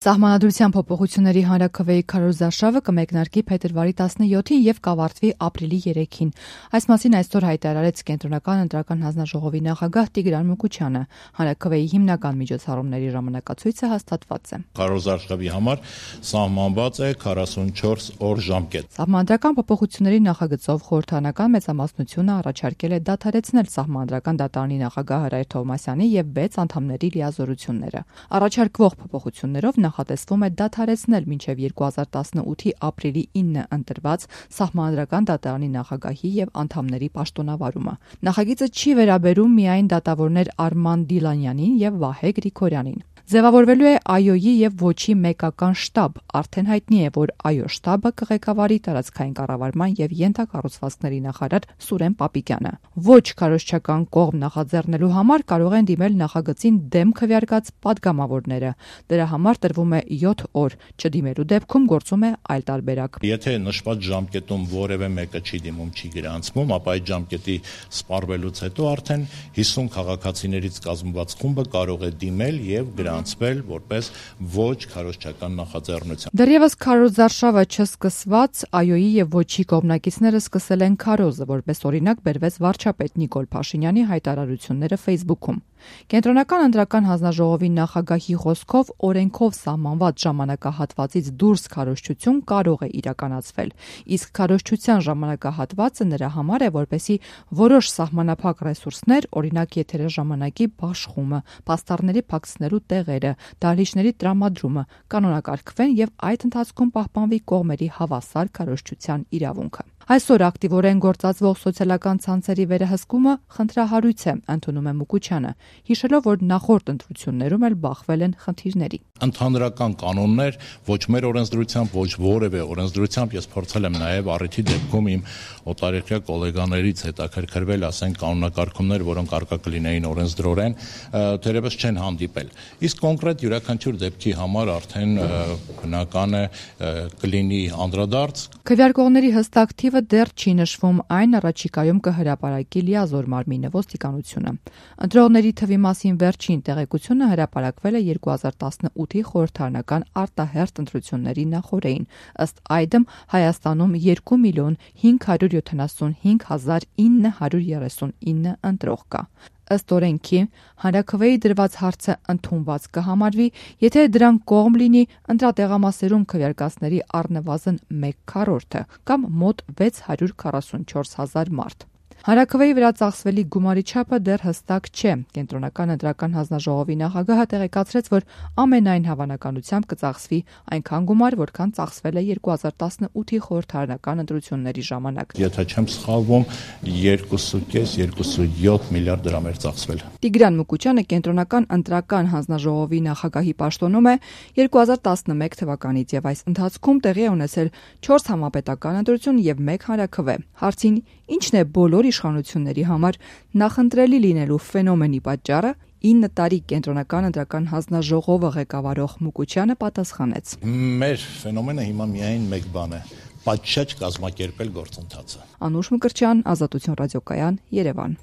Սահմանադրության փոփոխությունների հանրաքվեի քարոզարշավը կմեկնարկի փետրվարի 17-ին եւ կավարտվի ապրիլի 3-ին։ Այս մասին այսօր հայտարարեց Կենտրոնական ընտրական հանձնաժողովի նախագահ Տիգրան Մուկուչյանը։ Հանրաքվեի հիմնական միջոցառումների ժամանակացույցը հաստատված է։ Քարոզարշավի համար սահմանված է 44 օր ժամկետ։ Սահմանադրական փոփոխությունների նախագծով խորհրդարանական մեծամասնությունը առաջարկել է դադարեցնել Սահմանադրական դատարանի նախագահ Հրայր Թովմասյանի եւ 6 անդամների լիազորությունները։ Առաջարկվող փոփոխություններով նախատեսվում է դադարեցնել մինչև 2018-ի ապրիլի 9-ը ընտրված Սահմանադրական դատարանի նախագահի եւ անդամների պաշտոնավարումը։ Նախագիծը չի վերաբերում միայն դատավորներ Արման Դիլանյանին եւ Վահե Գրիգորյանին։ Ձևավորվելու է ԱՅՈ-ի եւ ոչի մեկական շտաբ։ Արդեն հայտնի է, որ ԱՅՈ շտաբը կղեկավարի տարածքային կառավարման եւ ենթակառուցվածքների նախարար Սուրեն Պապիկյանը։ Ոչ քարոզչական կողմ նախաձեռնելու համար կարող են դիմել նախագծին դեմ քվեարկած падգամավորները։ Դրա համար տրվում է 7 օր, չդիմելու դեպքում գործում է այլ տարբերակ։ Եթե նշված ժամկետում որևէ մեկը չի դիմում, չի գրանցվում, ապա այդ ժամկետի սպառվելուց հետո արդեն 50 քաղաքացիներից կազմված խումբը կարող է դիմել եւ գրանցվել որպես ոչ քարոզչական նախաձեռնություն։ Դեռևս քարոզարշավը չսկսված ԱՅՈ-ի եւ ոչի կողմնակիցները սկսել են քարոզը, որպես օրինակ բերվեց վարչապետ Նիկոլ Փաշինյանի հայտարարությունները Facebook-ում։ Կենտրոնական ընտրական հանձնաժողովի նախագահի խոսքով օրենքով սահմանված ժամանակահատվածից դուրս քարոզչություն կարող է իրականացվել, իսկ քարոզչության ժամանակահատվածը նրա համար է, որպեսզի որոշ սահմանափակ ռեսուրսներ, օրինակ եթերաժամանակի բաշխումը, պաստառների փակցնելու տեղերը, դահլիճների տրամադրումը, կանոնակարգվեն եւ այդ ընթացքում պահպանվի կողմերի հավասար քարոզչության իրավունքը։ Այսօր ակտիվորեն գործածվող սոցիալական ցանցերի վերահսկումը խնդրահարույց է, ընդունում է Մուկուչյանը, հիշելով, որ նախորդ ընտրություններում էլ բախվել են խնդիրների։ Ընդհանրական կանոններ ոչ մեր օրենսդրությամբ, ոչ որևէ օրենսդրությամբ ես փորձել եմ նաև առիթի դեպքում իմ օտարերկրյա գոլեգաներից հետաքրքրվել, ասենք կանոնակարգումներ, որոնք արկա կլինեին օրենսդրորեն, թերևս չեն հանդիպել։ Իսկ կոնկրետ յուրաքանչյուր դեպքի համար արդեն բնական է կլինի անդրադարձ։ Քվեարկողների հստակ թիվը դեռ չի նշվում, այն առաջիկայում կհրապարակի լիազոր մարմինը ոստիկանությունը։ Ընտրողների թվի մասին վերջին տեղեկությունը հրապարակվել է 2018-ի խորհրդարանական արտահերթ ընտրությունների նախօրեին։ Ըստ այդմ Հայաստանում 2,075,939 ընտրող կա։ Ըստ օրենքի հանրաքվեի դրված հարցը ընդունված կհամարվի, եթե դրան կողմ լինի ընտրատեղամասերում քվեարկածների առնվազն 1/4 կամ մոտ 644,000 մարդ։ Հանրաքվեի վրա ծախսվելի գումարի չափը դեռ հստակ չէ։ Կենտրոնական ընտրական հանձնաժողովի նախագահը տեղեկացրեց, որ ամենայն հավանականությամբ կծախսվի այնքան գումար, որքան ծախսվել է 2018-ի խորհրդարանական ընտրությունների ժամանակ։ Եթե չեմ սխալվում, 2.5-2.7 միլիարդ դրամ էր ծախսվել։ Տիգրան Մուկուչյանը Կենտրոնական ընտրական հանձնաժողովի նախագահի պաշտոնում է 2011 թվականից եւ այս ընթացքում տեղի է ունեցել 4 համապետական ընտրություն եւ 1 հանրաքվե։ Հարցին ինչն է բոլոր իշխանությունների համար նախընտրելի լինելու ֆենոմենի պատճառը, 9 տարի Կենտրոնական ընտրական հանձնաժողովը ղեկավարող Մուկուչյանը պատասխանեց. Մեր ֆենոմենը հիմա միայն մեկ բան է՝ պատշաճ կազմակերպել գործընթացը։ Անուշ Մկրտչյան, Ազատություն ռադիոկայան, Երևան։